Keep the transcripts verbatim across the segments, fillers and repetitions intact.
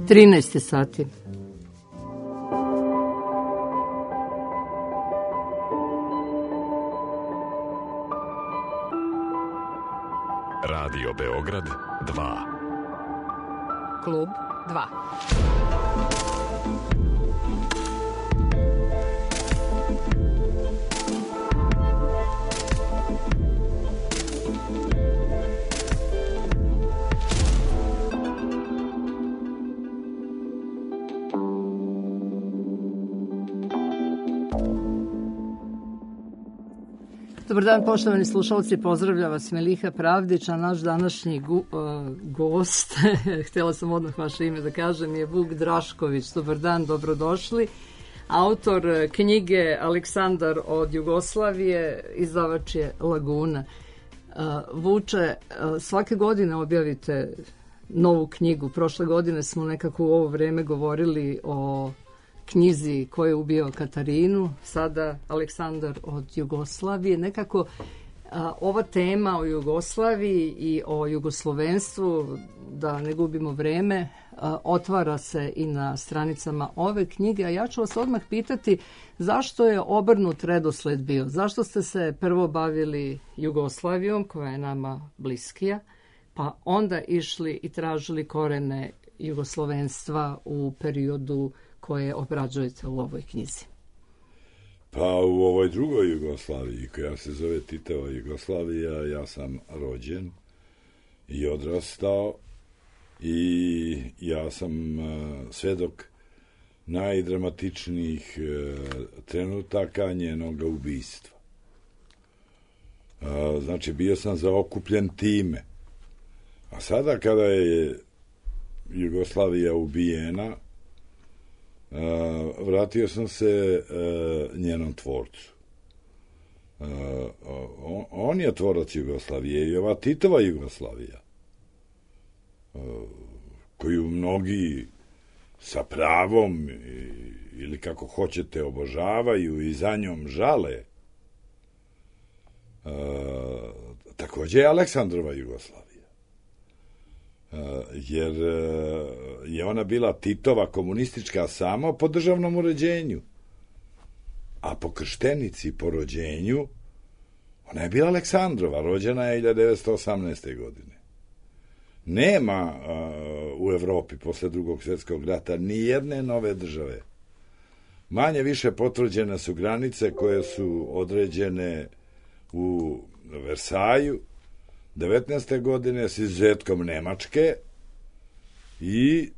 trinaest sati. Radio Beograd dva. Klub dva. Dobar dan, poštovani slušalci, pozdravlja vas Meliha Pravdić, a naš današnji gu, uh, gost, htjela sam odmah vaše ime da kažem, je Vuk Drašković. Dobar dan, dobrodošli. Autor knjige Aleksandar od Jugoslavije, izdavač je Laguna. Uh, Vuče, uh, svake godine objavite novu knjigu. Prošle godine smo nekako u ovo vreme govorili o knjizi Ko je ubio Katarinu, sada Aleksandar od Jugoslavije. Nekako a, ova tema o Jugoslaviji i o jugoslovenstvu, da ne gubimo vreme, a, otvara se i na stranicama ove knjige, a ja ću vas odmah pitati zašto je obrnut redosled bio? Zašto ste se prvo bavili Jugoslavijom, koja je nama bliskija, pa onda išli i tražili korene jugoslovenstva u periodu koje obrađujete u ovoj knjizi? Pa u ovoj drugoj Jugoslaviji, koja se zove Titova Jugoslavija, ja sam rođen i odrastao i ja sam uh, svedok najdramatičnijih uh, trenutaka njenog ubistva. Uh, znači, bio sam zaokupljen time. A sada kada je Jugoslavija ubijena, Uh, vratio sam se uh, njenom tvorcu. Uh, on, on je tvorac Jugoslavije i ova Titova Jugoslavija, uh, koju mnogi sa pravom i, ili kako hoćete obožavaju i za njom žale, uh, također je Aleksandrova Jugoslavija. Jer je ona bila Titova komunistička samo po državnom uređenju, a po krštenici, po rođenju, ona je bila Aleksandrova, rođena je hiljadu devetsto osamnaeste. godine. Nema uh, u Evropi posle drugog svjetskog rata ni jedne nove države. Manje više potvrđene su granice koje su određene u Versaju devetnaeste. godine s izuzetkom Nemačke i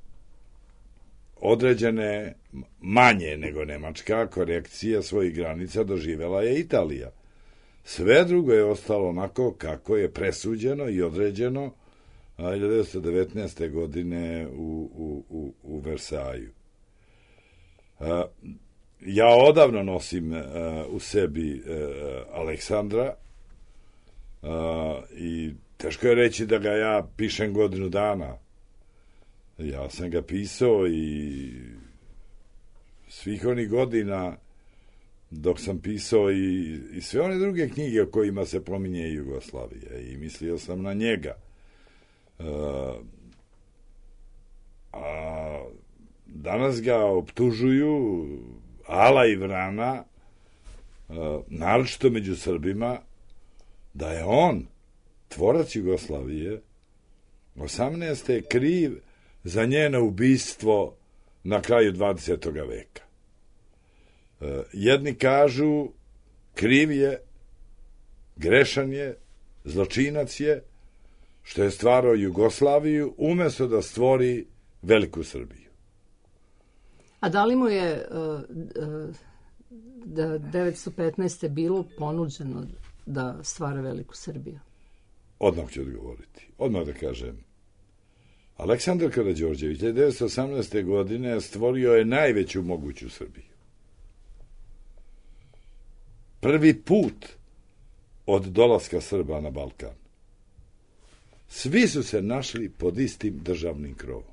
određene manje nego Nemačka korekcije svojih granica doživela je Italija. Sve drugo je ostalo onako kako je presuđeno i određeno hiljadu devetsto devetnaeste. godine u, u, u, u Versaju. Ja odavno nosim u sebi Aleksandra, Uh, i teško je reći da ga ja pišem godinu dana. Ja sam ga pisao i svih onih godina dok sam pisao i, i sve one druge knjige o kojima se pominje Jugoslavija i mislio sam na njega. Uh, a danas ga optužuju ala i vrana, uh, naročito među Srbima, da je on, tvorac Jugoslavije, osamnaeste. kriv za njeno ubistvo na kraju dvadesetog. veka. E, jedni kažu kriv je, grešan je, zločinac je, što je stvarao Jugoslaviju umjesto da stvori veliku Srbiju. A da li mu je uh, uh, da devetsto petnaeste. bilo ponuđeno da stvara veliku Srbiju? Odmah ću odgovoriti. Odmah da kažem. Aleksandar Karađorđević hiljadu devetsto osamnaeste. godine stvorio je najveću moguću Srbiju. Prvi put od dolaska Srba na Balkan. Svi su se našli pod istim državnim krovom.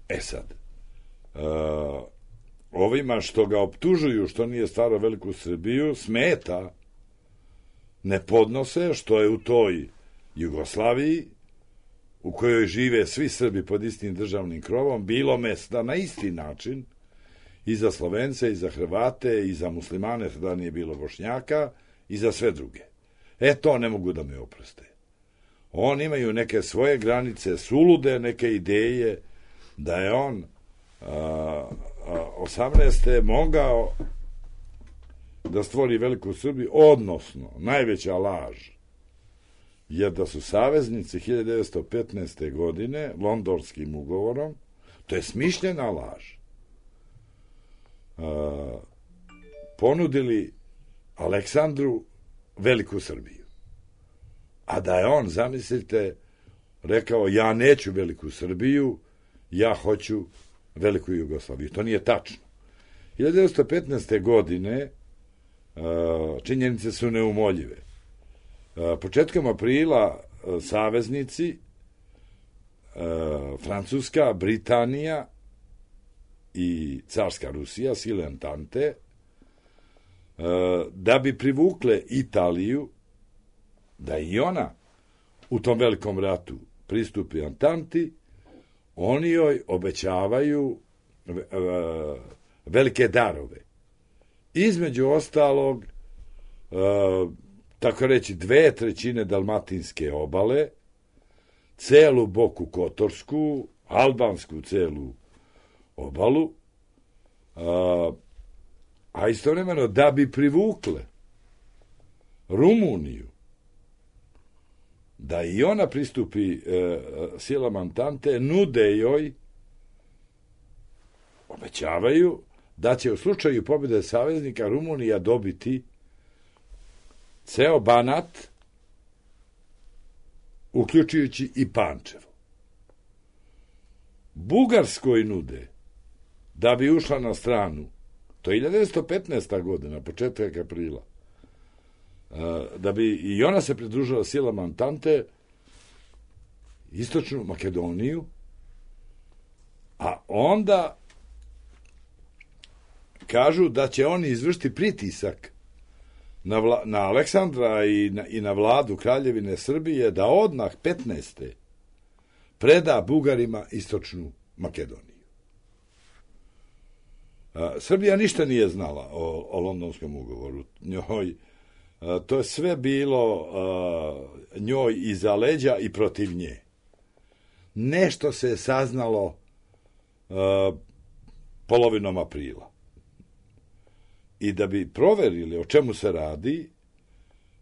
E sad, uh, ovima što ga optužuju što nije stvarao veliku Srbiju, smeta, ne podnose što je u toj Jugoslaviji u kojoj žive svi Srbi pod istim državnim krovom, bilo mesta na isti način i za Slovence, i za Hrvate, i za muslimane, tada nije bilo Bošnjaka, i za sve druge. E, to ne mogu da me oproste. Oni imaju neke svoje granice, sulude neke ideje, da je on a, a, osamnaeste mogao da stvori veliku Srbiju, odnosno, najveća laž je da su saveznici hiljadu devetsto petnaeste. godine Londonskim ugovorom, to je smišljena laž, a, ponudili Aleksandru veliku Srbiju. A da je on, zamislite, rekao, ja neću veliku Srbiju, ja hoću veliku Jugoslaviju. To nije tačno. hiljadu devetsto petnaeste. godine činjenice su neumoljive. Početkom aprila saveznici Francuska, Britanija i carska Rusija, sile Antante, da bi privukle Italiju, da i ona u tom velikom ratu pristupi Antanti, oni joj obećavaju velike darove. Između ostalog, tako reći, dve trećine dalmatinske obale, celu Boku Kotorsku, albansku celu obalu, a istovremeno da bi privukle Rumuniju, da i ona pristupi e, silama Antante, nude joj, obećavaju da će u slučaju pobjede saveznika Rumunija dobiti ceo Banat, uključujući i Pančevo. Bugarskoj nude da bi ušla na stranu, to je hiljadu devetsto petnaesta. godina, početak aprila, da bi i ona se pridružila silama Antante, istočnu Makedoniju, a onda kažu da će oni izvršiti pritisak na, vla, na Aleksandra i na, i na vladu Kraljevine Srbije da odmah petnaeste. preda Bugarima istočnu Makedoniju. A, Srbija ništa nije znala o, o Londonskom ugovoru. Njoj, a, to je sve bilo a, njoj iza leđa i protiv nje. Nešto se je saznalo a, polovinom aprila. I da bi proverili o čemu se radi,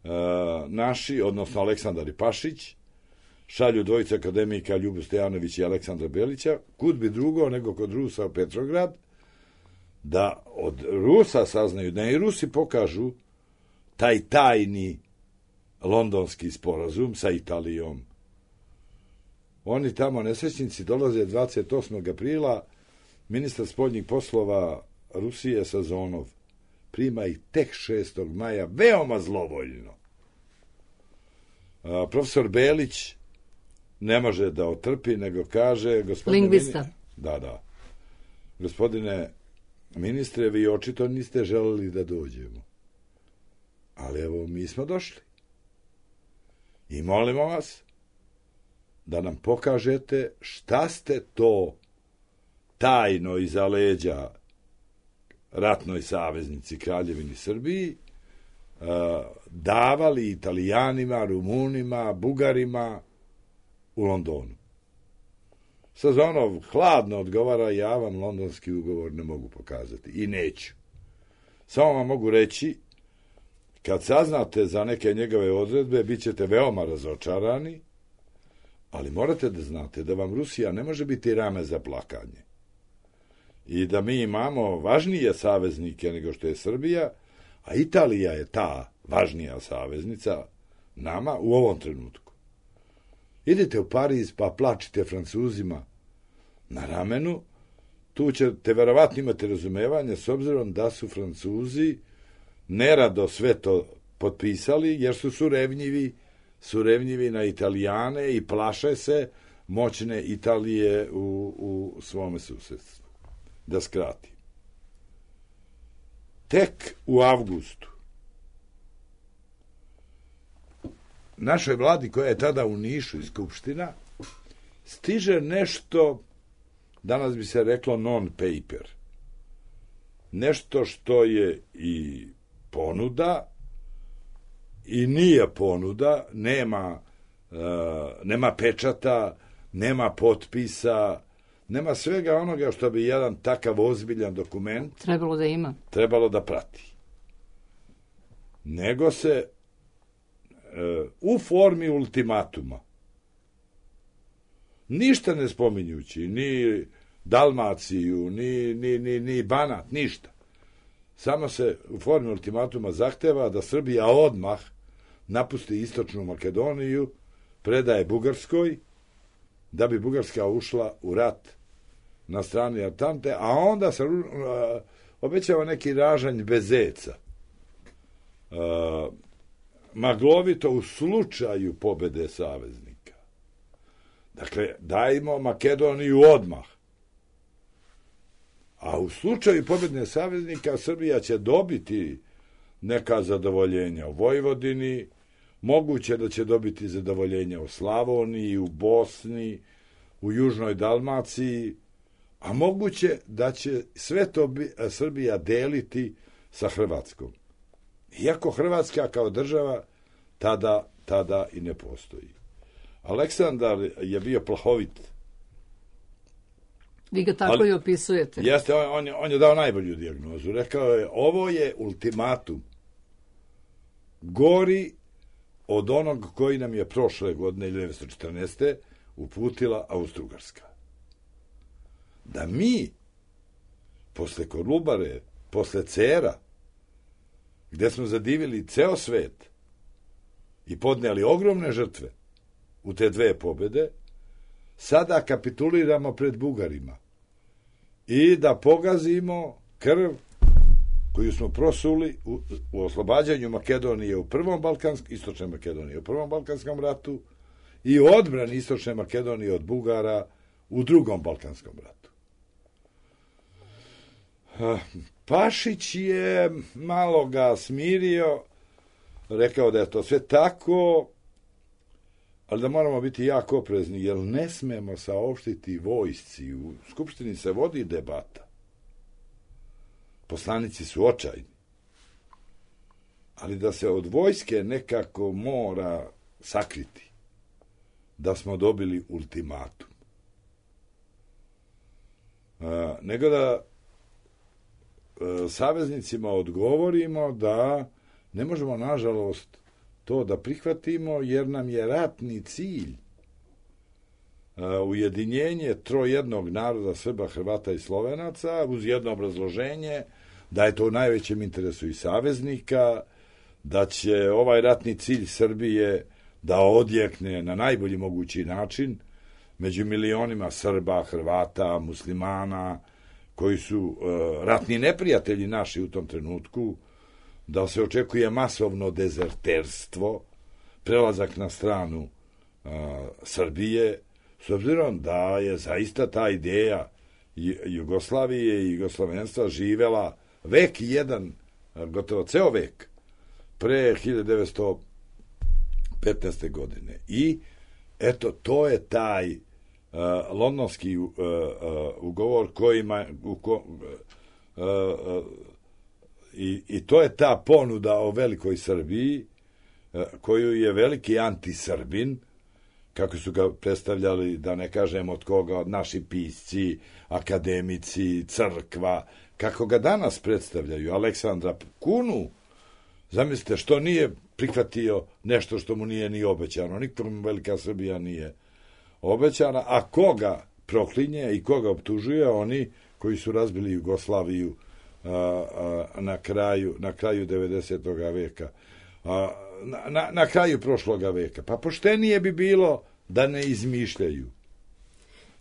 a, naši, odnosno Aleksandar i Pašić, šalju dvojice akademika Ljubu Stojanović i Aleksandra Belića, kud bi drugo nego kod Rusa u Petrograd, da od Rusa saznaju, da i Rusi pokažu taj tajni londonski sporazum sa Italijom. Oni tamo nesrećnici dolaze dvadeset osmog aprila, ministar spoljnih poslova Rusije Sazonov prima ih tek šestog maja, veoma zlovoljno. A, profesor Belić ne može da otrpi, nego kaže... Lingvista. Mini... Da, da. Gospodine ministre, vi očito niste želeli da dođemo. Ali evo, mi smo došli. I molimo vas da nam pokažete šta ste to tajno iza leđa ratnoj saveznici Kraljevini Srbiji davali Italijanima, Rumunima, Bugarima u Londonu. Sazonov hladno odgovara, ja vam londonski ugovor ne mogu pokazati i neću. Samo vam mogu reći, kad saznate za neke njegove odredbe, bit ćete veoma razočarani, ali morate da znate da vam Rusija ne može biti rame za plakanje. I da mi imamo važnije saveznike nego što je Srbija, a Italija je ta važnija saveznica nama u ovom trenutku. Idite u Pariz pa plačite Francuzima na ramenu, tu ćete verovatno imati razumevanje s obzirom da su Francuzi nerado sve to potpisali, jer su surevnjivi, surevnjivi na Italijane i plaše se moćne Italije u, u svome susedstvu. Da skratim. Tek u avgustu našoj vladi, koja je tada u Nišu i Skupština, stiže nešto, danas bi se reklo non-paper. Nešto što je i ponuda i nije ponuda, nema, uh, nema pečata, nema potpisa, nema svega onoga što bi jedan takav ozbiljan dokument trebalo da ima. Trebalo da prati. Nego se uh, u formi ultimatuma, ništa ne spominjući, ni Dalmaciju, ni, ni, ni, ni Banat, ništa. Samo se u formi ultimatuma zahteva da Srbija odmah napusti istočnu Makedoniju, predaje Bugarskoj, da bi Bugarska ušla u rat na strani Antante, a onda se uh, obećava neki ražanj bez zeca. Uh, maglovito u slučaju pobede saveznika. Dakle, dajmo Makedoniju odmah. A u slučaju pobjedne saveznika Srbija će dobiti neka zadovoljenja u Vojvodini, moguće da će dobiti zadovoljenja u Slavoniji, u Bosni, u Južnoj Dalmaciji, a moguće da će sve to Srbija deliti sa Hrvatskom. Iako Hrvatska kao država tada, tada i ne postoji. Aleksandar je bio plahovit. Vi ga tako ali, i opisujete. Jeste, on, on, je, on je dao najbolju dijagnozu. Rekao je, ovo je ultimatum. Gori od onog koji nam je prošle godine, hiljadu devetsto četrnaeste. uputila Austro-Ugarska. Da mi, posle Kolubare, posle Cera, gde smo zadivili ceo svet i podneli ogromne žrtve u te dve pobede, sada kapituliramo pred Bugarima i da pogazimo krv koju smo prosuli u, u oslobađanju Makedonije u prvom Balkanskom, istočne Makedonije u prvom Balkanskom ratu i odbrani istočne Makedonije od Bugara u drugom Balkanskom ratu. Pašić je malo ga smirio, rekao da je to sve tako, ali da moramo biti jako oprezni, jer ne smemo saopštiti vojsci. U Skupštini se vodi debata. Poslanici su očajni. Ali da se od vojske nekako mora sakriti da smo dobili ultimatum. A, nego da a, saveznicima odgovorimo da ne možemo, nažalost, to da prihvatimo, jer nam je ratni cilj a, ujedinjenje trojednog naroda Srba, Hrvata i Slovenaca, uz jedno obrazloženje da je to u najvećem interesu i saveznika, da će ovaj ratni cilj Srbije da odjekne na najbolji mogući način među milionima Srba, Hrvata, muslimana, koji su uh, ratni neprijatelji naši u tom trenutku, da se očekuje masovno dezerterstvo, prelazak na stranu uh, Srbije, s obzirom da je zaista ta ideja Jugoslavije i jugoslovenstva živela vek i jedan, gotovo ceo vek, pre hiljadu devetsto petnaeste. godine. I eto, to je taj uh, londonski uh, uh, ugovor kojima u ko, uh, uh, i, i to je ta ponuda o velikoj Srbiji uh, koju je veliki antisrbin, kako su ga predstavljali, da ne kažem od koga, naši pisci, akademici, crkva, kako ga danas predstavljaju, Aleksandra Kunu, zamislite, što nije prihvatio nešto što mu nije ni obećano, nikom velika Srbija nije obećana, a koga proklinje i koga optužuje, oni koji su razbili Jugoslaviju a, a, na kraju na kraju devedesetog veka, a, na, na kraju prošloga veka. Pa poštenije bi bilo da ne izmišljaju,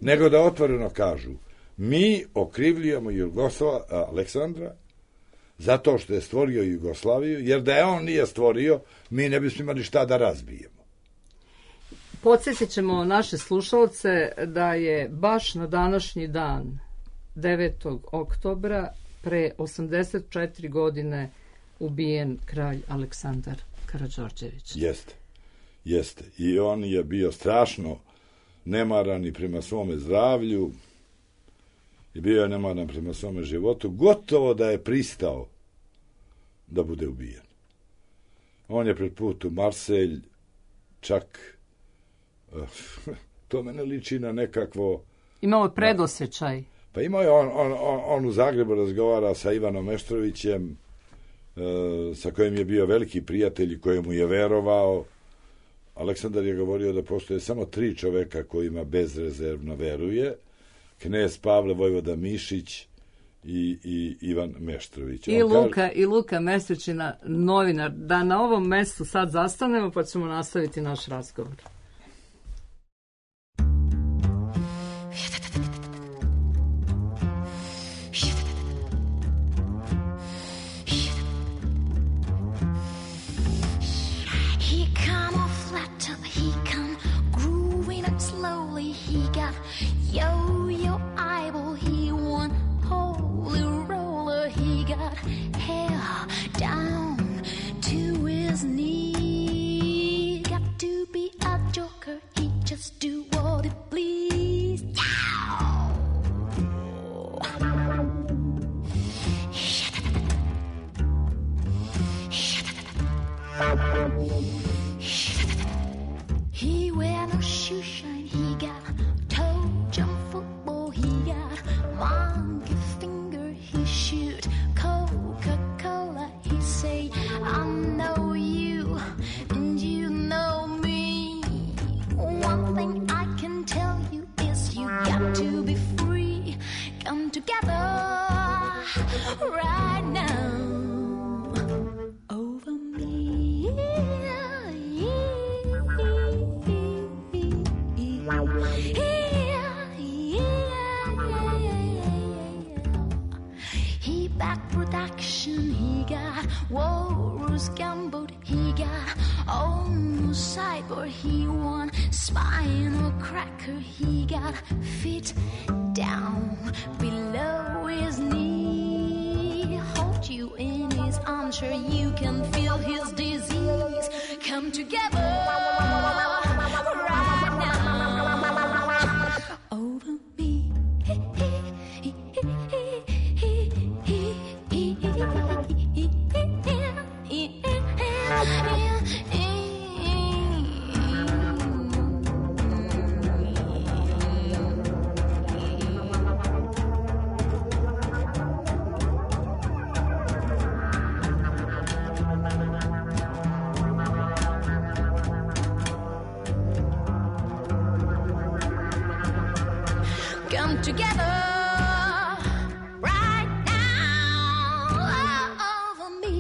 nego da otvoreno kažu, mi okrivljujemo Jugoslava, Aleksandra zato što je stvorio Jugoslaviju, jer da je on nije stvorio, mi ne bismo imali šta da razbijemo. Podsjetit ćemo naše slušalce da je baš na današnji dan, devetog oktobra, pre osamdeset četiri godine ubijen kralj Aleksandar Karađorđević. Jeste, jeste. I on je bio strašno nemaran i prema svome zdravlju i bio je nemaran prema svome životu, gotovo da je pristao da bude ubijen. On je pred put u Marselj čak to mene liči na nekakvo... Imao predosjećaj. Pa imao je, on, on, on, on u Zagrebu razgovara sa Ivanom Meštrovićem, e, sa kojim je bio veliki prijatelj i kojemu je verovao. Aleksandar je govorio da postoje samo tri čoveka kojima bezrezervno veruje. Knez Pavle Vojvoda Mišić i, i Ivan Meštrović. I Luka, kaže... I Luka Mesečina, novinar. Da na ovom mestu sad zastanemo pa ćemo nastaviti naš razgovor. Yo-yo eyeball, he won holy roller. He got hair down to his knee. Got to be a joker, he just do what he please. He wear no shoe shine, he got toe jump football, he got monkey finger, he shoot Coca-Cola, he say, I know you and you know me. One thing I can tell you is you got to be free. Come together right now over me. He back production, he got Walrus Gumboat, he got almost cyborg, he won spinal cracker, he got fit down below his knee. Hold you in his arms, sure you can feel his disease. Come together right now over me. Come together right now over me.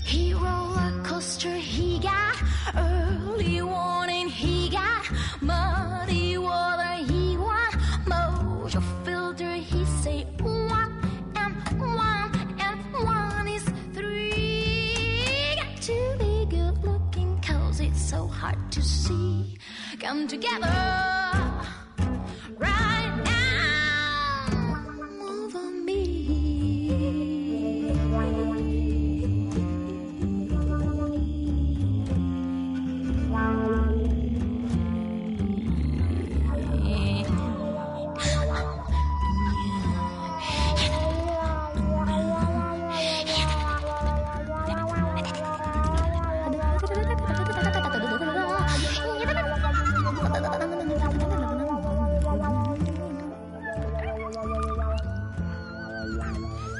He roller coaster, he got early warning, he got muddy water, he want mojo filter, he say one and one and one is three. Got to be good looking cause it's so hard to see. Come together right now over me.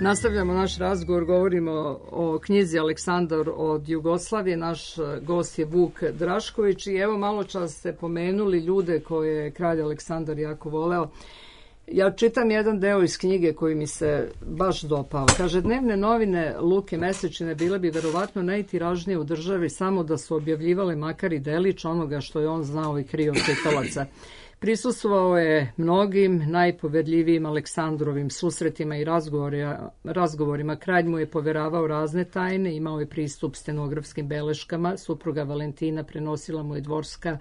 Nastavljamo naš razgovor, govorimo o knjizi Aleksandar od Jugoslavije. Naš gost je Vuk Drašković i evo malo čas ste pomenuli ljude koje je kralj Aleksandar jako voleo. Ja čitam jedan deo iz knjige koji mi se baš dopao. Kaže, dnevne novine Luke Mesečine bile bi verovatno najtiražnije u državi samo da su objavljivale makar i delić onoga što je on znao i krio čitalaca. Prisustvovao je mnogim najpoverljivijim Aleksandrovim susretima i razgovorima. Kralj mu je poveravao razne tajne, imao je pristup stenografskim beleškama, supruga Valentina prenosila mu je dvorska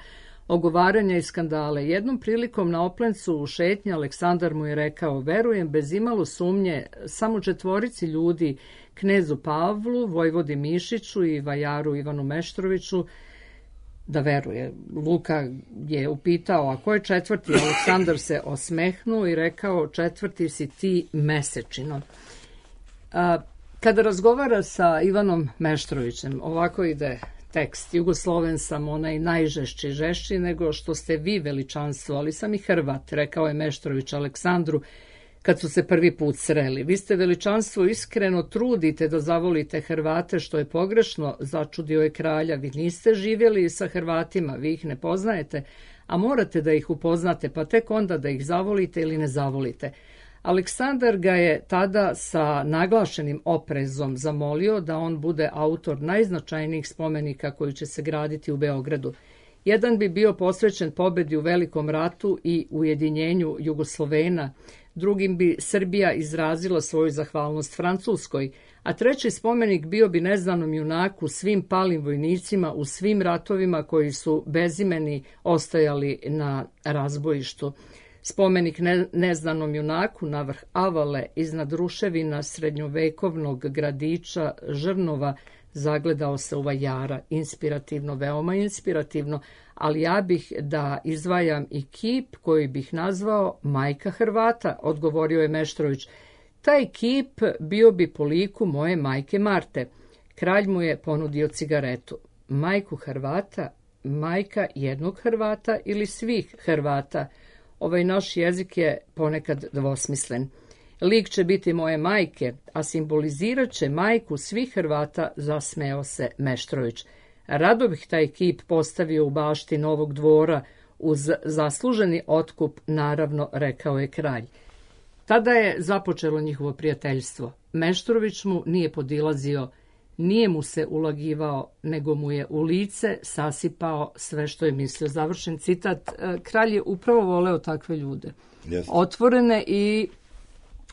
ogovaranja i skandale. Jednom prilikom na Oplencu u šetnji Aleksandar mu je rekao: verujem bez imalo sumnje samo četvorici ljudi, knezu Pavlu, vojvodi Mišiću i vajaru Ivanu Meštroviću, da veruje. Luka je upitao: a ko je četvrti? Aleksandar se osmehnuo i rekao: četvrti si ti, Mesečino. A, kada razgovara sa Ivanom Meštrovićem, ovako ide tekst: Jugosloven sam, onaj najžešći, žešći nego što ste vi, veličanstvo, ali sam i Hrvat, rekao je Meštrović Aleksandru kad su se prvi put sreli. Vi ste, veličanstvo, iskreno trudite da zavolite Hrvate, što je pogrešno, začudio je kralja. Vi niste živjeli sa Hrvatima, vi ih ne poznajete, a morate da ih upoznate, pa tek onda da ih zavolite ili ne zavolite. Aleksandar ga je tada sa naglašenim oprezom zamolio da on bude autor najznačajnijih spomenika koji će se graditi u Beogradu. Jedan bi bio posvećen pobedi u Velikom ratu i ujedinjenju Jugoslovena, drugim bi Srbija izrazila svoju zahvalnost Francuskoj, a treći spomenik bio bi neznanom junaku, svim palim vojnicima u svim ratovima koji su bezimeni ostajali na razbojištu. Spomenik ne, neznanom junaku na vrh Avale iznad ruševina srednjovekovnog gradića Žrnova zagledao se u vajara. Inspirativno, veoma inspirativno, ali ja bih da izdvajam i kip koji bih nazvao Majka Hrvata, odgovorio je Meštrović. Taj kip bio bi po liku moje majke Marte. Kralj mu je ponudio cigaretu. Majku Hrvata, majka jednog Hrvata ili svih Hrvata? Ovaj naš jezik je ponekad dvosmislen. Lik će biti moje majke, a simbolizirat će majku svih Hrvata, zasmeo se Meštrović. Rado bih taj kip postavio u bašti Novog dvora, uz zasluženi otkup, naravno, rekao je kralj. Tada je započelo njihovo prijateljstvo. Meštrović mu nije podilazio, nije mu se ulagivao, nego mu je u lice sasipao sve što je mislio. Završen citat. Kralj je upravo voleo takve ljude. Yes. Otvorene i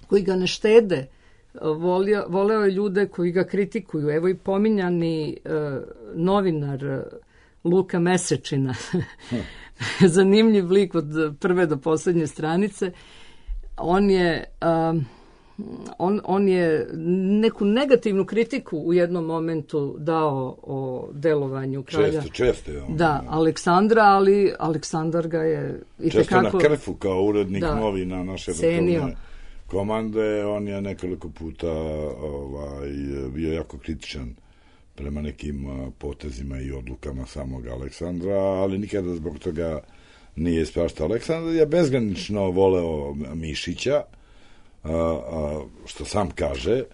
koji ga ne štede. Volio, voleo je ljude koji ga kritikuju. Evo i pominjani uh, novinar uh, Luka Mesečina. Zanimljiv lik od prve do posljednje stranice. On je... Uh, On, on je neku negativnu kritiku u jednom momentu dao o delovanju kralja. Često, često je on. Da, Aleksandra, ali Aleksandar ga je i često tekako, na krfu kao urednik da, novina naše vrhovne komande. On je nekoliko puta ovaj, bio jako kritičan prema nekim potezima i odlukama samog Aleksandra, ali nikada zbog toga nije ispraštao. Aleksandar je bezgranično voleo Mišića, A, a, što sam kaže,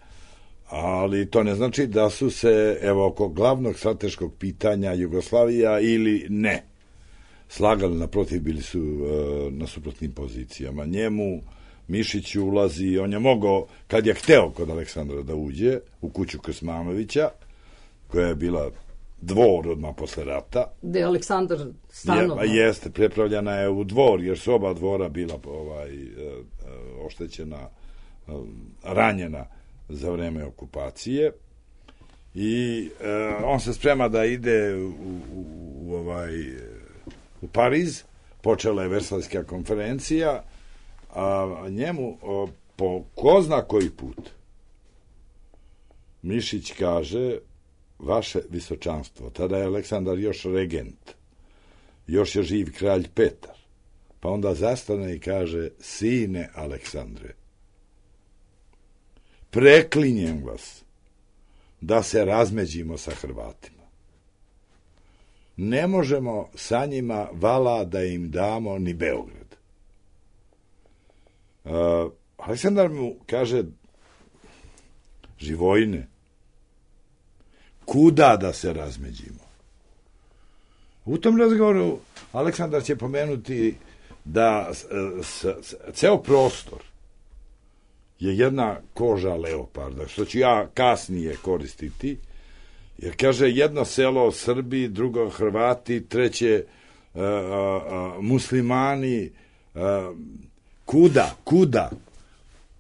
ali to ne znači da su se, evo, oko glavnog strateškog pitanja Jugoslavija ili ne slagali, naprotiv, bili su a, na suprotnim pozicijama. Njemu Mišić ulazi, on je mogao, kad je hteo kod Aleksandra da uđe u kuću Krsmanovića, koja je bila dvor odmah posle rata. Gde je Aleksandar stanovao. Je, jeste, prepravljena je u dvor, jer su oba dvora bila ovaj, oštećena, ranjena za vreme okupacije. I e, on se sprema da ide u, u, u, ovaj, u Pariz. Počela je Versajska konferencija, a njemu o, po ko zna koji put Mišić kaže: vaše visočanstvo, tada je Aleksandar još regent, još je živ kralj Petar, pa onda zastane i kaže: sine Aleksandre, preklinjem vas da se razmeđimo sa Hrvatima. Ne možemo sa njima vala da im damo ni Beograd. Uh, Aleksandar mu kaže: Živojine, kuda da se razmeđimo? U tom razgovoru Aleksandar će pomenuti da s, s, s, ceo prostor je jedna koža leoparda, što ću ja kasnije koristiti, jer kaže jedno selo Srbi, drugo Hrvati, treće uh, uh, muslimani, uh, kuda, kuda?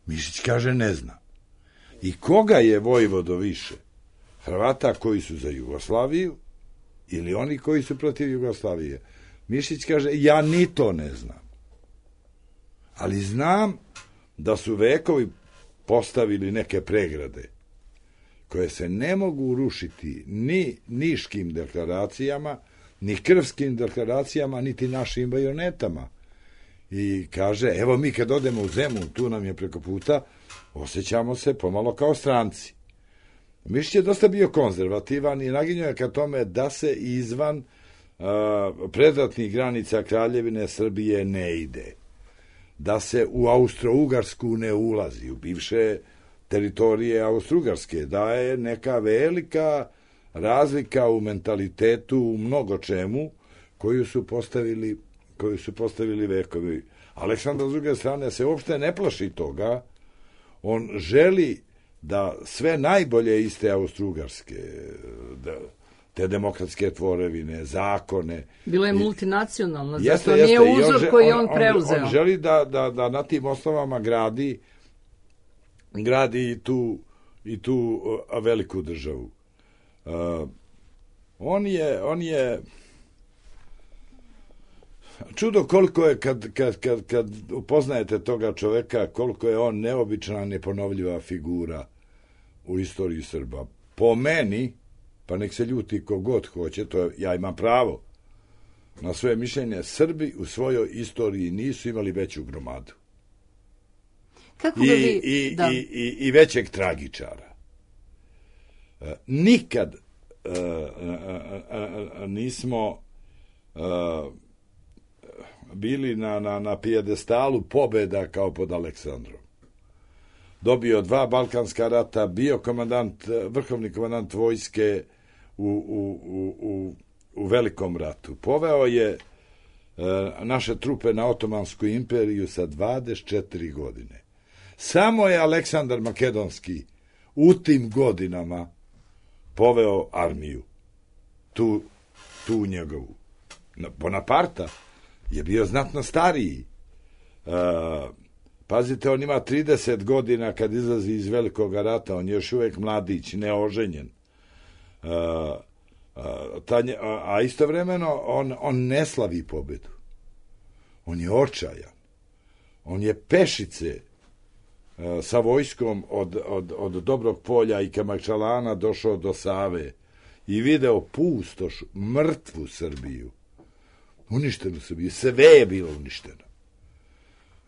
Mišić kaže ne zna. I koga je vojvodo više? Hrvata koji su za Jugoslaviju ili oni koji su protiv Jugoslavije? Mišić kaže, ja ni to ne znam. Ali znam da su vekovi postavili neke pregrade koje se ne mogu rušiti ni niškim deklaracijama, ni krvskim deklaracijama, niti našim bajonetama. I kaže, evo mi kad odemo u Zemun, tu nam je preko puta, osjećamo se pomalo kao stranci. Mišić je dosta bio konzervativan i naginjao je ka tome da se izvan uh, predratnih granica Kraljevine Srbije ne ide. Da se u Austro-Ugarsku ne ulazi, u bivše teritorije Austro-Ugarske, da je neka velika razlika u mentalitetu, u mnogo čemu, koju su postavili, koju su postavili vekovi. Aleksandar, s druge strane, se uopšte ne plaši toga. On želi da sve najbolje iz te Austro-Ugarske, da, te demokratske tvorevine, zakone. Bilo je multinacionalna, jeste, zato jeste, nije uzor on, koji on, on preuzeo. On, on želi da, da, da na tim osnovama gradi, gradi i tu, i tu uh, veliku državu. Uh, on je, on je čudo koliko je, kad, kad, kad, kad upoznajete toga čoveka, koliko je on neobična, neponovljiva figura u istoriji Srba. Po meni, pa nek se ljuti ko god hoće, to je, ja imam pravo na svoje mišljenje, Srbi u svojoj istoriji nisu imali veću gromadu. Kako I, vi, i, da. i, i, i većeg tragičara. E, nikad e, e, e, nismo e, bili na, na, na pijedestalu pobeda kao pod Aleksandrom. Dobio dva Balkanska rata, bio komandant, vrhovni komandant vojske u, u, u, u, u Velikom ratu. Poveo je e, naše trupe na Otomansku imperiju sa dvadeset četiri godine. Samo je Aleksandar Makedonski u tim godinama poveo armiju. Tu, tu njegovu. Bonaparta je bio znatno stariji. E, pazite, on ima trideset godina kad izlazi iz Velikog rata, on je još uvijek mladić, neoženjen. E, a, ta, a istovremeno on, on ne slavi pobedu. On je očajan. On je pešice e, sa vojskom od, od, od Dobrog Polja i Kamačalana došao do Save i video pustoš, mrtvu Srbiju. Uništenu Srbiju, sve je bilo uništeno.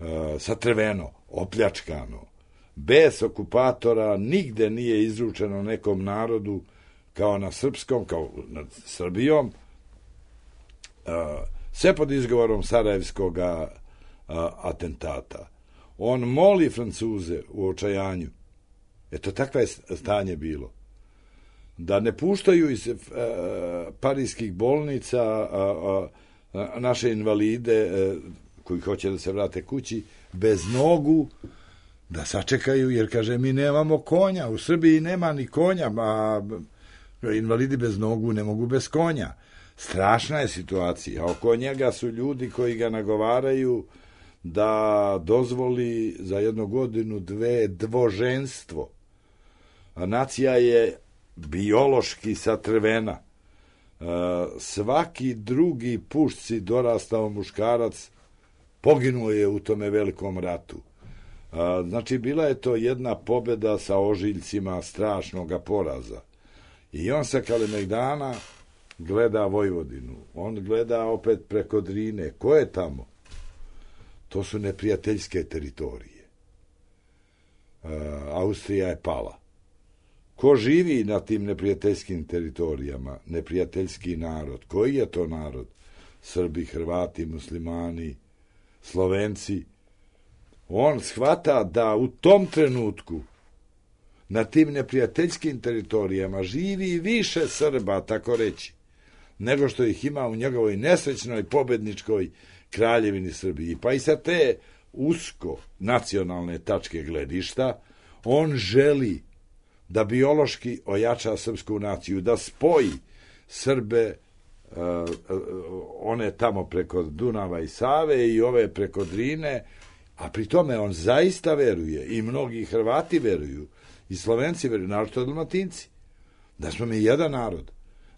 E, satrveno, opljačkano, bez okupatora, nigde nije izručeno nekom narodu kao na srpskom, kao nad Srbijom, e, sve pod izgovorom Sarajevskog atentata. On moli Francuze u očajanju, eto takva je stanje bilo, da ne puštaju iz e, parijskih bolnica a, a, naše invalide e, koji hoće da se vrate kući bez nogu, da sačekaju, jer kaže, mi nemamo konja, u Srbiji nema ni konja, a invalidi bez nogu ne mogu bez konja. Strašna je situacija. Oko njega su ljudi koji ga nagovaraju da dozvoli za jednu godinu, dve, dvoženstvo. A nacija je biološki satrvena. E, svaki drugi pušci dorastao muškarac poginuo je u tome velikom ratu. E, znači, bila je to jedna pobeda sa ožiljcima strašnoga poraza. I on sa Kalemegdana gleda Vojvodinu. On gleda opet preko Drine. Ko je tamo? To su neprijateljske teritorije. E, Austrija je pala. Ko živi na tim neprijateljskim teritorijama? Neprijateljski narod. Koji je to narod? Srbi, Hrvati, Muslimani, Slovenci. On shvata da u tom trenutku na tim neprijateljskim teritorijama živi više Srba, tako reći, nego što ih ima u njegovoj nesrećnoj pobedničkoj Kraljevini Srbiji. Pa i sa te usko nacionalne tačke gledišta on želi da biološki ojača srpsku naciju, da spoji Srbe, uh, one tamo preko Dunava i Save i ove preko Drine, a pri tome on zaista veruje, i mnogi Hrvati veruju, i Slovenci veruju, naročito Dalmatinci, da smo mi jedan narod,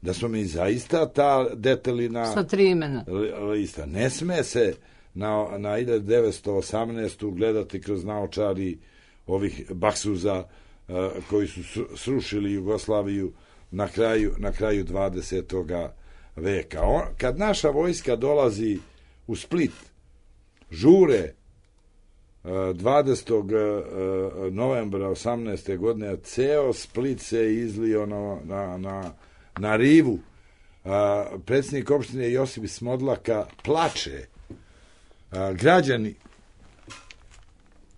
da smo mi zaista ta detelina sa tri imena lista. Ne sme se na, na hiljadu devetsto osamnaestu gledati kroz naočari ovih baksuza uh, koji su srušili Jugoslaviju na kraju, na kraju dvadesetog veka. On, kad naša vojska dolazi u Split, žure dvadesetog novembra osamnaeste godine, ceo Split se izlio na, na, na, na rivu. A, predsjednik opštine Josip Smodlaka plače. A, građani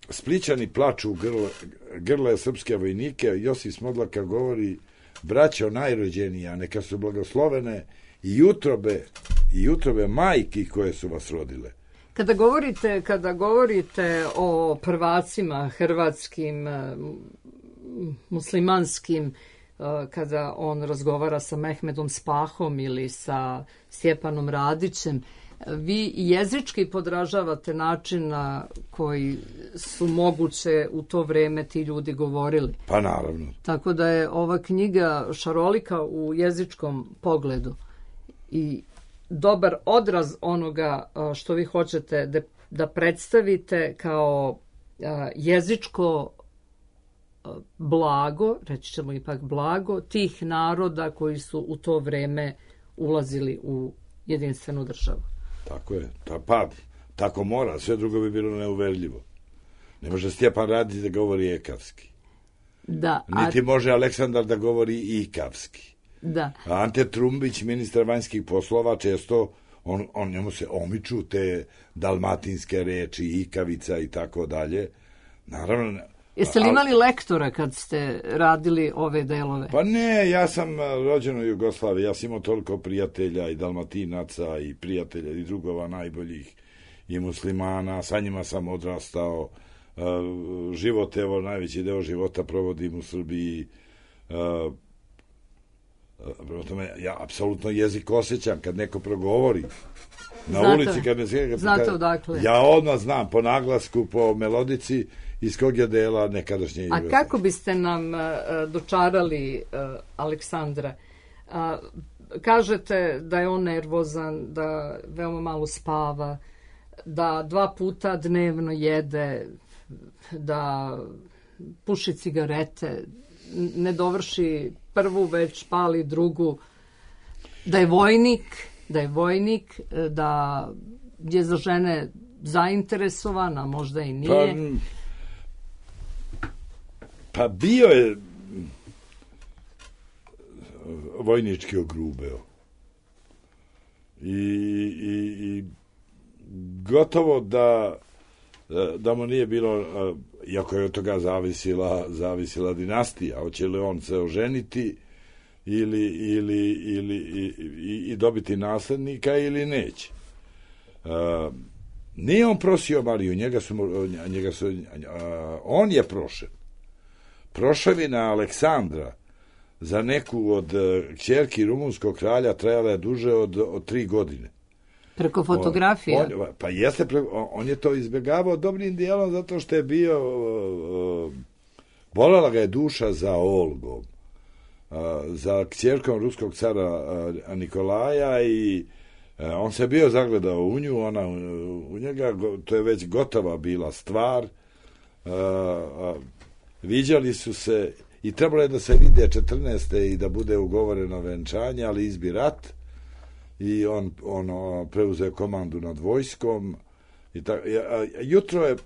Splićani plaču u grle, grle srpske vojnike. Josip Smodlaka govori: braćo najrođenija, neka su blagoslovene i utrobe, i utrobe majki koje su vas rodile. Kada govorite, kada govorite o prvacima hrvatskim, muslimanskim, kada on razgovara sa Mehmedom Spahom ili sa Stjepanom Radićem, vi jezički podražavate način na koji su moguće u to vreme ti ljudi govorili. Pa naravno. Tako da je ova knjiga šarolika u jezičkom pogledu i dobar odraz onoga što vi hoćete da predstavite kao jezičko blago, reći ćemo ipak blago, tih naroda koji su u to vreme ulazili u jedinstvenu državu. Tako je. Ta, pa, tako mora. Sve drugo bi bilo neuverljivo. Ne može Stjepan Radić da govori ekavski. Da. A... Niti može Aleksandar da govori ikavski. Da. Ante Trumbić, ministar vanjskih poslova, često on, on njemu se omiču te dalmatinske reči, ikavica i tako dalje. Naravno. Jeste li imali lektora kad ste radili ove delove? Pa ne, ja sam rođen u Jugoslaviji, ja sam imao toliko prijatelja i dalmatinaca i prijatelja i drugova najboljih i muslimana, sa njima sam odrastao. Život, evo, najveći deo života provodim u Srbiji. Prema tome, ja apsolutno jezik osjećam kad neko progovori na znate, ulici, kad me sve, znate odakle. Ja odmah znam po naglasku, po melodici iz kog je dela nekadašnje Jugoslavije. A kako biste nam uh, dočarali uh, Aleksandra? Uh, kažete da je on nervozan, da veoma malo spava, da dva puta dnevno jede, da puši cigarete, ne dovrši prvu, već pali drugu, da je vojnik, da je vojnik, da je za žene zainteresovana, možda i nije. Pa, pa bio je vojnički ogrubeo. I, i, i gotovo da da mu nije bilo, iako je od toga zavisila, zavisila dinastija, hoće li on se oženiti ili, ili, ili i, i, i dobiti naslednika ili neće. Uh, nije on prosio Mariju, njega su, njega su, uh, on je prošen. Prošavina Aleksandra za neku od uh, kćerki rumunskog kralja trajala je duže od, od tri godine. Preko fotografija? On, on, pa jeste, on, on je to izbjegavao dobrim dijelom zato što je bio, uh, bolela ga je duša za Olgom, uh, za kćerkom ruskog cara uh, Nikolaja i uh, on se bio zagledao u nju, ona u, u njega, to je već gotova bila stvar. Uh, uh, viđali su se i trebalo je da se vide četrnaeste i da bude ugovoreno venčanje, ali izbi rat. I on, on preuzeo komandu nad vojskom i ta, a, jutro je e,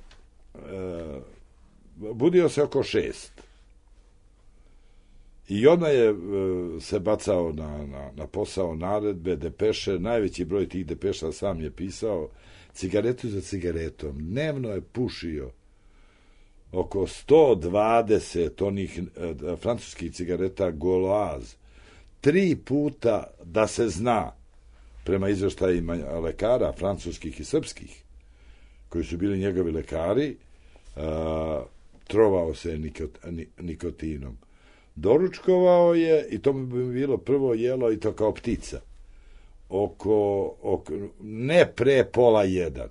budio se oko šest i odmah je e, se bacao na, na, na posao naredbe, depeše, najveći broj tih depeša sam je pisao, cigaretu za cigaretom, dnevno je pušio oko sto dvadeset onih e, francuskih cigareta Gauloise, tri puta da se zna, prema izveštajima lekara, francuskih i srpskih, koji su bili njegovi lekari, a, trovao se nikot, nikotinom. Doručkovao je, i to bi bilo prvo jelo, i to kao ptica, oko, oko ne pre pola jedan.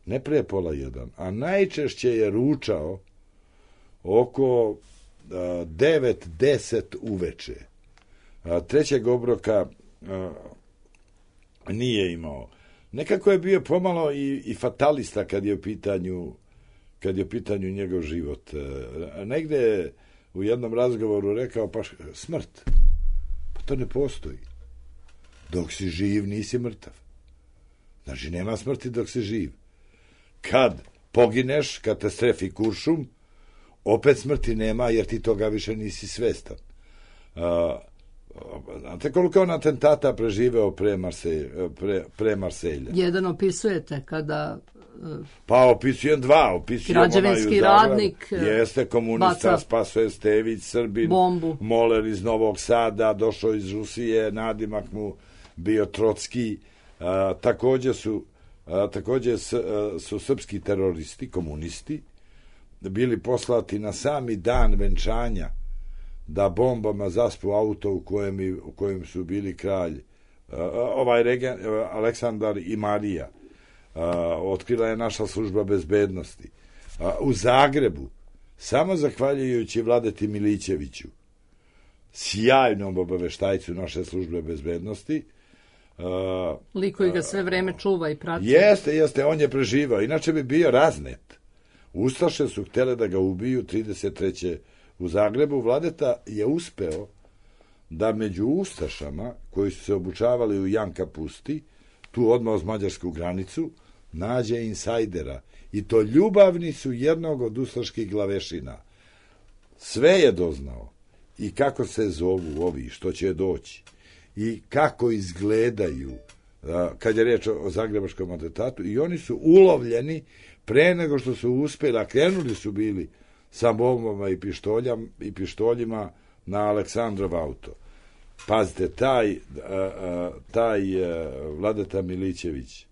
Ne pre pola jedan, a najčešće je ručao oko a, devet, deset uveče. A, trećeg obroka a, nije imao. Nekako je bio pomalo i, i fatalista kad je u pitanju kad je u pitanju njegov život. A, negde je u jednom razgovoru rekao, pa smrt, pa to ne postoji. Dok si živ, nisi mrtav. Znači, nema smrti dok si živ. Kad pogineš, kad te strefi kuršum, opet smrti nema, jer ti toga više nisi svestan. A, znate koliko on atentata preživeo pre, Marselj, pre, pre Marselja? Jedan opisujete kada... Pa opisujem dva, opisujem građevinski radnik, jeste komunista, baca Spasoje Stević, Srbin, bombu. Moler iz Novog Sada, došao iz Rusije, nadimak mu bio Trotski, a, takođe su a, takođe s, a, su srpski teroristi, komunisti, bili poslati na sami dan venčanja da bombama zaspu auto u kojem, u kojem su bili kralj a, ovaj regen, Aleksandar i Marija. Uh, otkrila je naša služba bezbednosti. Uh, u Zagrebu, samo zahvaljujući Vladeti Milićeviću, sjajnom obaveštajcu naše službe bezbednosti, uh, lik koji ga sve vreme čuva i prati. Jeste, jeste, on je preživao. Inače bi bio raznet. Ustaše su htjele da ga ubiju trideset treće u Zagrebu. Vladeta je uspeo da među Ustašama, koji su se obučavali u Janka Pusti, tu odmah uz mađarsku granicu, nađe insajdera. I to ljubavni su jednog od ustaških glavešina. Sve je doznao. I kako se zovu ovi, što će doći. I kako izgledaju, kad je reč o zagrebačkom atentatu. I oni su ulovljeni pre nego što su uspjeli, a krenuli su bili sa bombama i, i pištoljima na Aleksandrov auto. Pazite, taj, taj Vladeta Milićević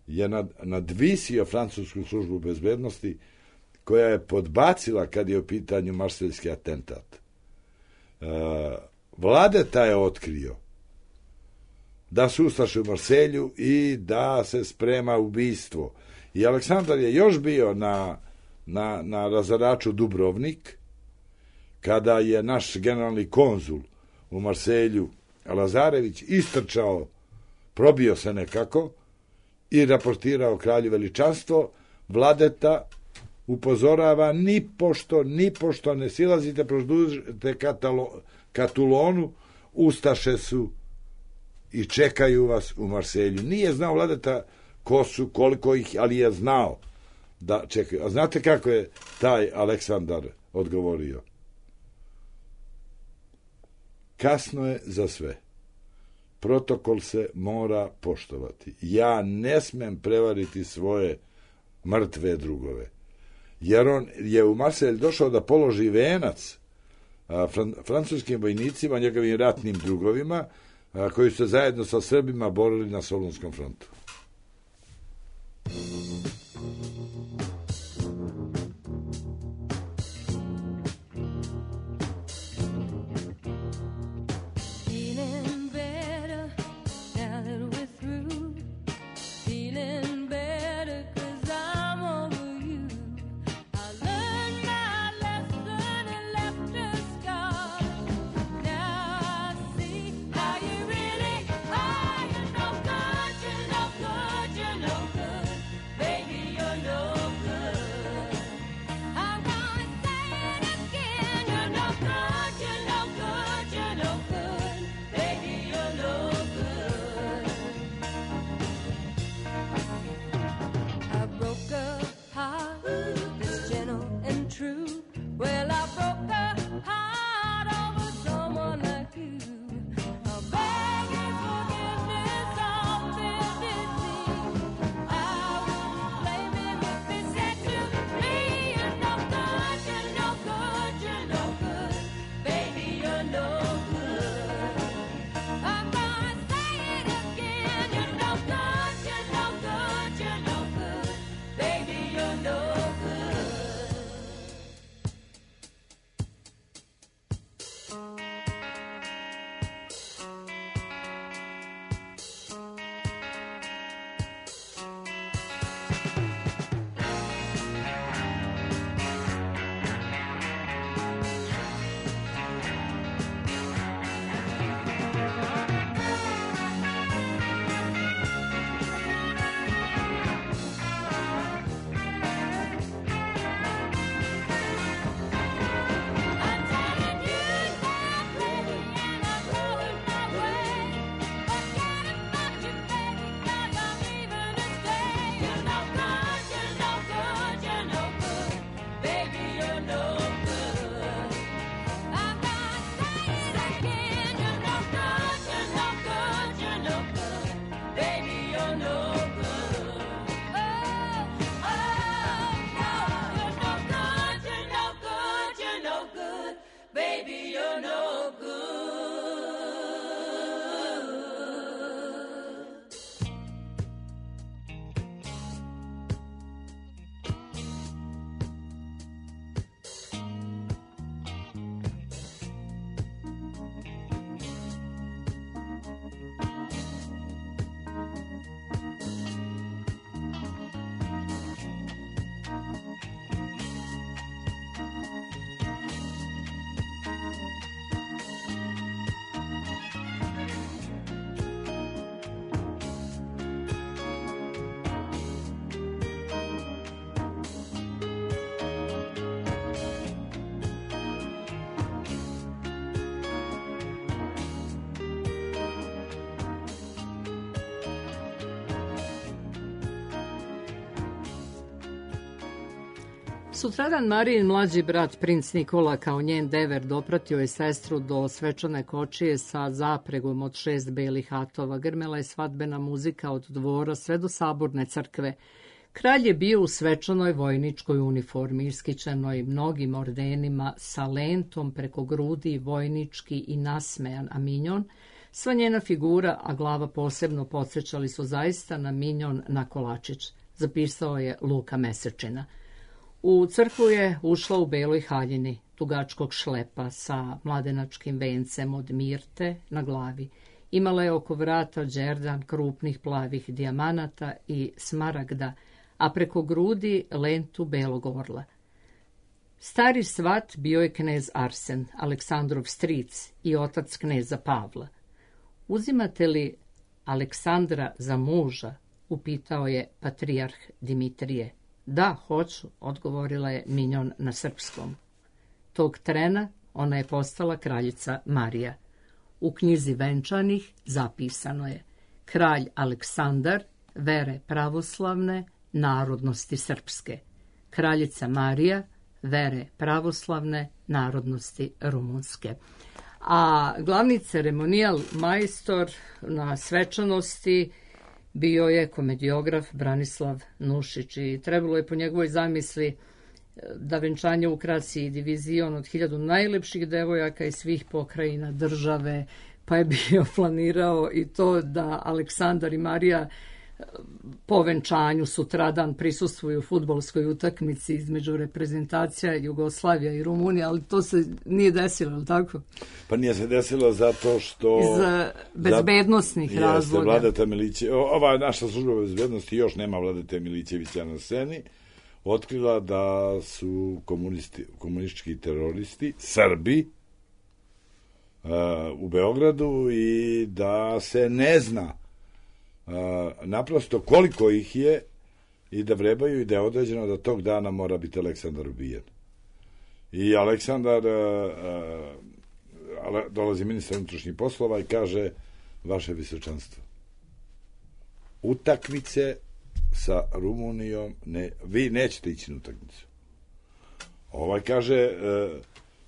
je nad, nadvisio francusku službu bezbednosti koja je podbacila kad je u pitanju marseljski atentat. Vladeta je otkrio da su ustaše u Marselju i da se sprema ubistvo. I Aleksandar je još bio na, na, na razaraču Dubrovnik kada je naš generalni konzul u Marselju Lazarević istrčao, probio se nekako i raportirao kralju veličanstvo. Vladeta upozorava, ni pošto, ni pošto ne silazite, produžite Katulonu, ustaše su i čekaju vas u Marselju. Nije znao Vladeta ko su, koliko ih, ali je znao da čekaju. A znate kako je taj Aleksandar odgovorio? Kasno je za sve. Protokol se mora poštovati. Ja ne smem prevariti svoje mrtve drugove. Jer on je u Marselj došao da položi venac a, fran, francuskim vojnicima, njegovim ratnim drugovima, a, koji su se zajedno sa Srbima borili na Solunskom frontu. How you really are, you're no good, you're no good. Sutradan Marijin mlađi brat, princ Nikola, kao njen dever, dopratio je sestru do svečane kočije sa zapregom od šest belih hatova. Grmela je svadbena muzika od dvora sve do saborne crkve. Kralj je bio u svečanoj vojničkoj uniformi, iskićenoj mnogim ordenima, sa lentom preko grudi, vojnički i nasmejan, a minjon, sva njena figura, a glava posebno, podsjećali su zaista na minjon na kolačić, zapisao je Luka Mesečina. U crkvu je ušla u beloj haljini, dugačkog šlepa sa mladenačkim vencem od mirte na glavi. Imala je oko vrata đerdan krupnih plavih dijamanata i smaragda, a preko grudi lentu belog orla. Stari svat bio je knez Arsen, Aleksandrov stric i otac kneza Pavla. Uzimate li Aleksandra za muža? Upitao je patrijarh Dimitrije. Da, hoću, odgovorila je minjon na srpskom. Tog trena ona je postala kraljica Marija. U knjizi venčanih zapisano je: kralj Aleksandar, vere pravoslavne, narodnosti srpske. Kraljica Marija, vere pravoslavne, narodnosti rumunske. A glavni ceremonijal majstor na svečanosti bio je komediograf Branislav Nušić i trebalo je po njegovoj zamisli da venčanje ukrasi divizion od hiljadu najlepših devojaka iz svih pokrajina države, pa je bio planirao i to da Aleksandar i Marija po venčanju sutradan prisustvuju fudbalskoj utakmici između reprezentacija Jugoslavija i Rumunija, ali to se nije desilo, je li tako? Pa nije se desilo zato što... Iz bezbednostnih za, razloga. Vladeta Miliće, ova naša služba bezbednosti još nema Vladete Milićevića na sceni, otkrila da su komunisti, komunistički teroristi, Srbi, uh, u Beogradu i da se ne zna Uh, naprosto koliko ih je i da vrebaju i da je određeno da tog dana mora biti Aleksandar ubijen. I Aleksandar uh, uh, dolazi ministar unutrašnjih poslova i kaže: vaše visočanstvo, utakmice sa Rumunijom ne, vi nećete ići na utakmicu. Ovaj kaže: uh,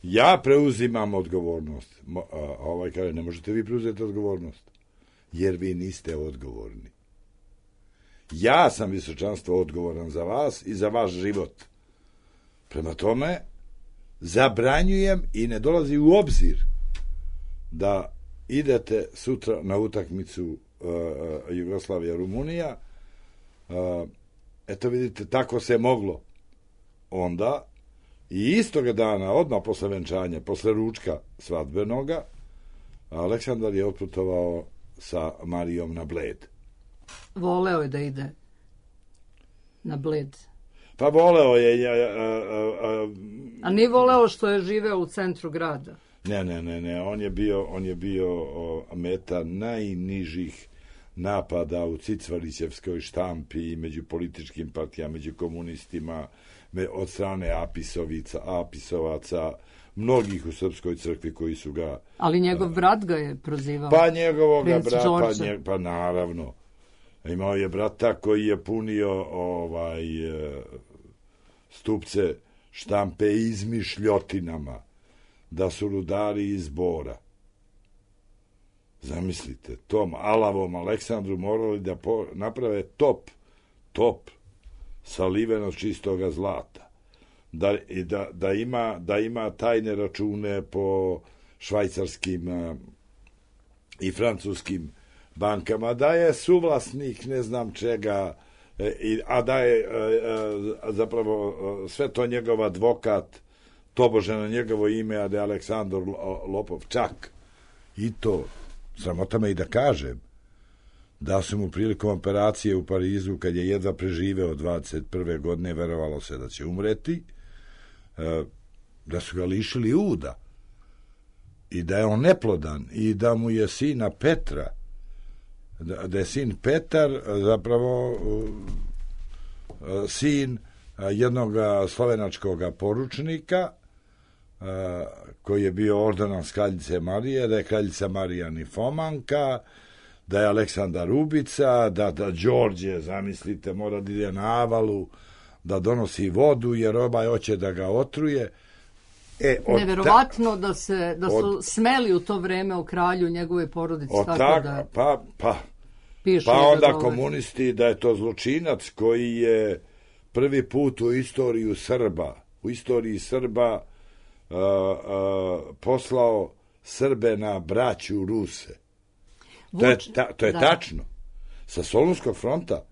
ja preuzimam odgovornost. Mo, uh, ovaj kaže: ne možete vi preuzeti odgovornost, jer vi niste odgovorni. Ja sam visočanstvo odgovoran za vas i za vaš život. Prema tome, zabranjujem i ne dolazi u obzir da idete sutra na utakmicu uh, Jugoslavija-Rumunija. Uh, eto vidite, tako se moglo onda. I istoga dana, odmah posle venčanja, posle ručka svadbenoga, Aleksandar je otputovao sa Marijom na Bled. Voleo je da ide na Bled. Pa voleo je... A, a, a, a nije voleo što je živeo u centru grada? Ne, ne, ne, ne. On je bio, on je bio o, meta najnižih napada u Cicvalićevskoj štampi i među političkim partijama, među komunistima, me, od strane Apisovica, Apisovaca, mnogih u Srpskoj crkvi koji su ga... Ali njegov brat ga je prozivao. Pa njegovog brata, pa, nje, pa naravno. Imao je brata koji je punio ovaj stupce štampe izmišljotinama, da su rudari iz Bora. Zamislite, tom alavom Aleksandru morali da po, naprave top, top saliveno čistoga zlata. Da, da, da, ima, da ima tajne račune po švajcarskim a, i francuskim bankama, da je suvlasnik ne znam čega, e, a da je e, e, zapravo e, sve to njegov advokat, tobože na njegovo ime, a da je Aleksandar Lopov. Čak i to, sramota me i da kažem, da su mu prilikom operacije u Parizu, kad je jedva preživeo dvadeset prve godine, verovalo se da će umreti, da su ga lišili uda i da je on neplodan i da mu je sina Petra, da, da je sin Petar zapravo sin jednog slovenačkog poručnika koji je bio ordinas kraljice Marije, da je kraljica Marija nifomanka, da je Aleksandar ubica, da, da Đorđe, zamislite, mora da ide na avalu, da donosi vodu, jer ovaj hoće da ga otruje. E, Neverovatno da, se, da su od, smeli u to vreme o kralju njegove porodice. Tako tak, da pa, pa, pišu pa onda da komunisti da je to zločinac koji je prvi put u istoriju Srba, u istoriji Srba uh, uh, poslao Srbe na braću Ruse. Vuč, to je, ta, to je da. tačno. Sa Solunskog fronta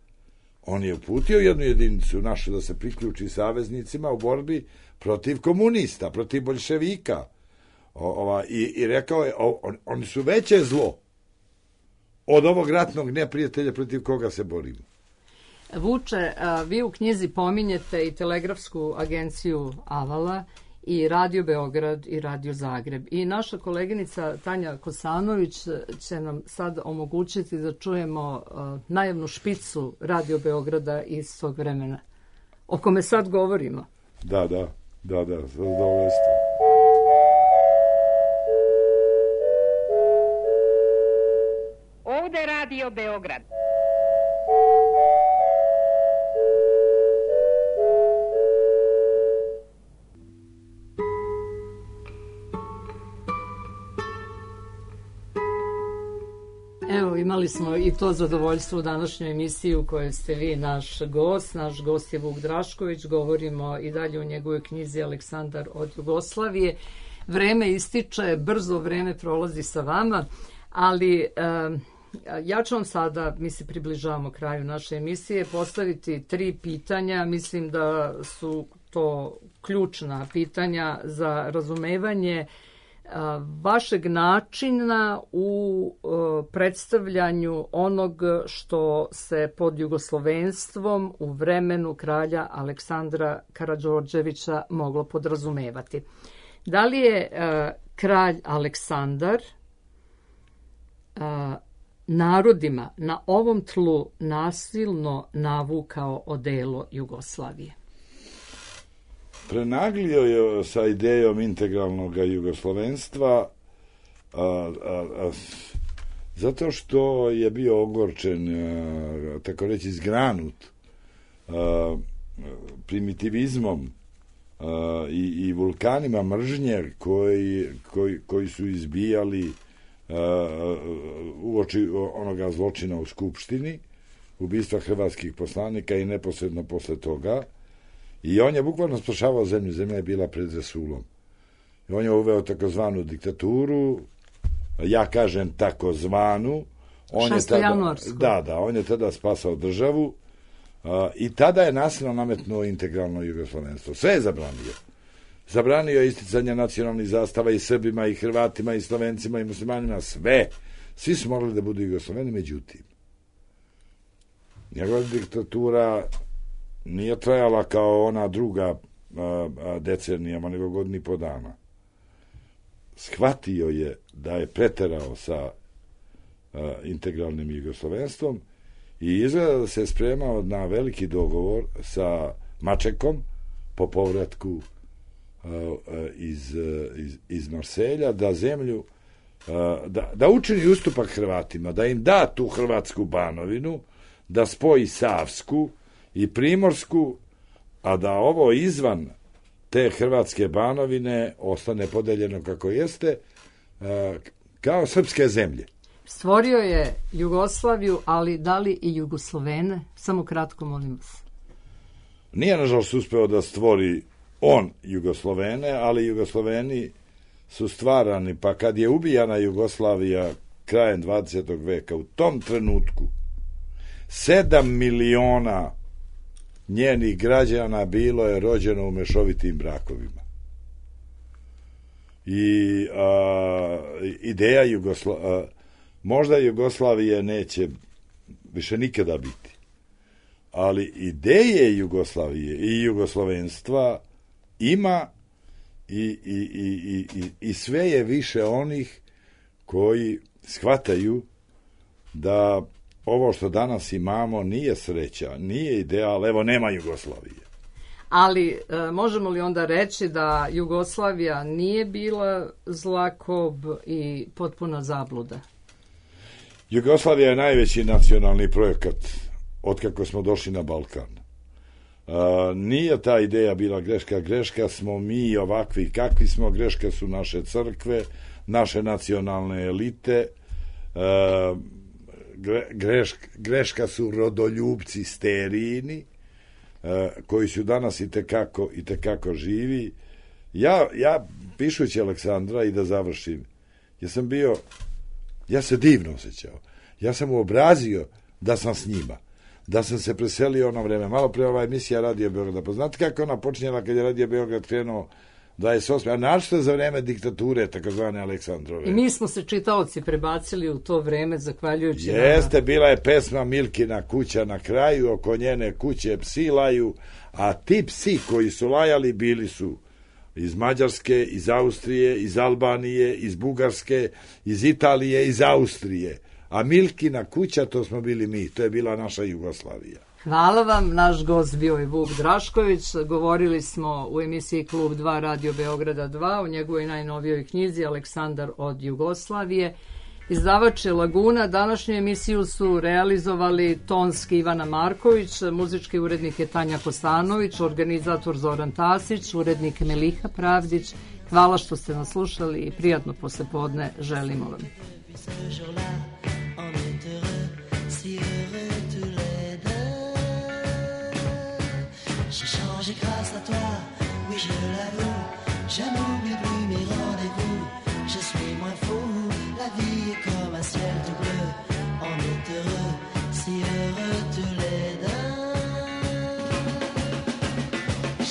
on je uputio jednu jedinicu našu da se priključi saveznicima u borbi protiv komunista, protiv boljševika. O, ova, i, I rekao je, o, on, oni su veće zlo od ovog ratnog neprijatelja protiv koga se borimo. Vuče, vi u knjizi pominjete i telegrafsku agenciju Avala i Radio Beograd i Radio Zagreb. I naša koleginica Tanja Kosanović će nam sad omogućiti da čujemo uh, najavnu špicu Radio Beograda iz tog vremena, o kome sad govorimo. Da, da, da, da, zadovoljstvo. Ovde Radio Beograd. Evo, imali smo i to zadovoljstvo u današnjoj emisiji u kojoj ste vi naš gost. Naš gost je Vuk Drašković. Govorimo i dalje o njegovoj knjizi Aleksandar od Jugoslavije. Vreme ističe, brzo vreme prolazi sa vama, ali e, ja ću vam sada, mi se približavamo kraju naše emisije, postaviti tri pitanja. Mislim da su to ključna pitanja za razumevanje vašeg načina u predstavljanju onog što se pod jugoslovenstvom u vremenu kralja Aleksandra Karađorđevića moglo podrazumevati. Da li je kralj Aleksandar narodima na ovom tlu nasilno navukao odelo Jugoslavije? Prenaglio je sa idejom integralnog jugoslovenstva a, a, a, zato što je bio ogorčen, a, tako reći zgranut a, primitivizmom a, i, i vulkanima mržnje koji, koji, koji su izbijali a, uoči onoga zločina u Skupštini, ubistva hrvatskih poslanika i neposredno posle toga. I on je bukvalno spašavao zemlju. Zemlja je bila pred rasulom. I on je uveo takozvanu diktaturu, ja kažem takozvanu. On je tada, da, da, on je tada spasao državu uh, i tada je nasilno nametnuo integralno jugoslovenstvo. Sve je zabranio. Zabranio je isticanje nacionalnih zastava i Srbima, i Hrvatima, i Slovencima, i muslimanima, sve. Svi su morali da budu Jugosloveni, međutim. Njegova diktatura nije trajala kao ona druga a, a, decenijama, nego godini po dana. Shvatio je da je preterao sa a, integralnim jugoslovenstvom i izgleda da se spremao na veliki dogovor sa Mačekom po povratku a, a, iz, a, iz, iz Marselja, da zemlju a, da, da učini ustupak Hrvatima, da im da tu hrvatsku banovinu, da spoji Savsku i Primorsku, a da ovo izvan te hrvatske banovine ostane podeljeno kako jeste, kao srpske zemlje. Stvorio je Jugoslaviju, ali da li i Jugoslovene? Samo kratko, molim vas. Nije, nažalost, uspeo da stvori on Jugoslovene, ali Jugosloveni su stvarani, pa kad je ubijana Jugoslavija krajem dvadesetog veka, u tom trenutku sedam miliona njenih građana bilo je rođeno u mešovitim brakovima. I a, ideja Jugosla, a, možda Jugoslavije neće više nikada biti, ali ideje Jugoslavije i jugoslovenstva ima i, i, i, i, i sve je više onih koji shvataju da ovo što danas imamo nije sreća, nije ideal, evo nema Jugoslavije. Ali e, možemo li onda reći da Jugoslavija nije bila zlakob i potpuna zabluda? Jugoslavija je najveći nacionalni projekat otkako smo došli na Balkan. Uh, nije ta ideja bila greška, greška smo mi ovakvi kakvi smo, greška su naše crkve, naše nacionalne elite, uh, gre, greš, greška su rodoljubci sterijini, uh, koji su danas i tekako, i tekako živi. Ja, ja pišući Aleksandra i da završim, ja sam bio, ja se divno osjećao, ja sam uobrazio da sam s njima, da sam se preselio ono vreme. Malo pre ova emisija Radio Beograda. Pa znate kako ona počinjela kad je Radio Beograd krenuo dvadeset osme a našto za vreme diktature, takozvane Aleksandrove. I mi smo se čitaoci prebacili u to vreme, zahvaljujući... Jeste, na... bila je pesma Milkina kuća na kraju, oko njene kuće psi laju, a ti psi koji su lajali bili su iz Mađarske, iz Austrije, iz Albanije, iz Bugarske, iz Italije, iz Austrije. A Milkina kuća, to smo bili mi, to je bila naša Jugoslavija. Hvala vam, naš gost bio je Vuk Drašković, govorili smo u emisiji Klub dva Radio Beograda dva, u njegovoj najnovijoj knjizi Aleksandar od Jugoslavije. Izdavač je Laguna, današnju emisiju su realizovali tonski Ivana Marković, muzički urednik je Tanja Kostanović, organizator Zoran Tasić, urednik Meliha Pravdić. Hvala što ste nas slušali i prijatno poslepodne želimo vam. J'ai changé grâce à toi, oui je l'avoue. Je n'oublie plus mes rendez-vous. Je suis moins fou, la vie est comme un ciel tout bleu. On est heureux, si heureux tous les deux.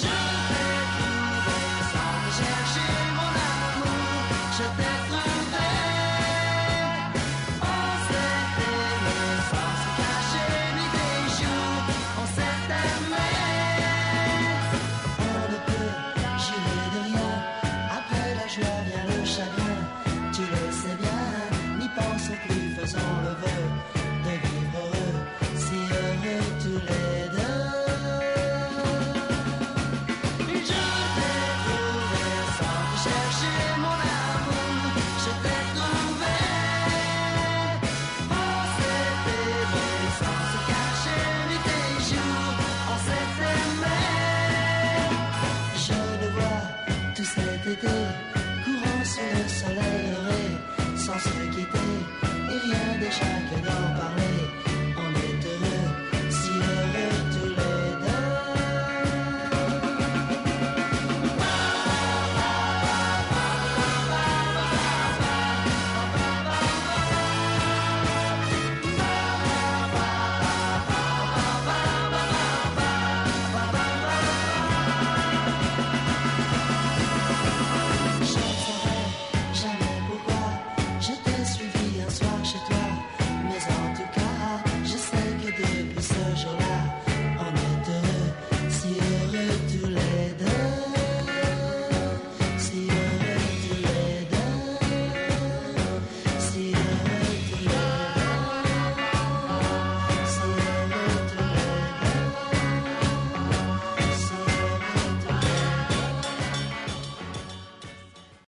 Je t'ai trouvé sans chercher mon amour. Je t'ai trouvé. On s'est aimé sans se cacher ni des jours. On s'est aimé. Faisons le vœu de vivre heureux, si heureux tous les deux. Je t'ai trouvé sans chercher mon amour. Je t'ai trouvé. On s'est aimé sans se cacher nuit et jour. On s'est aimé. Je le vois tout cet été, courant sous le soleil doré, sans se quitter. Et rien déjà que d'en parler.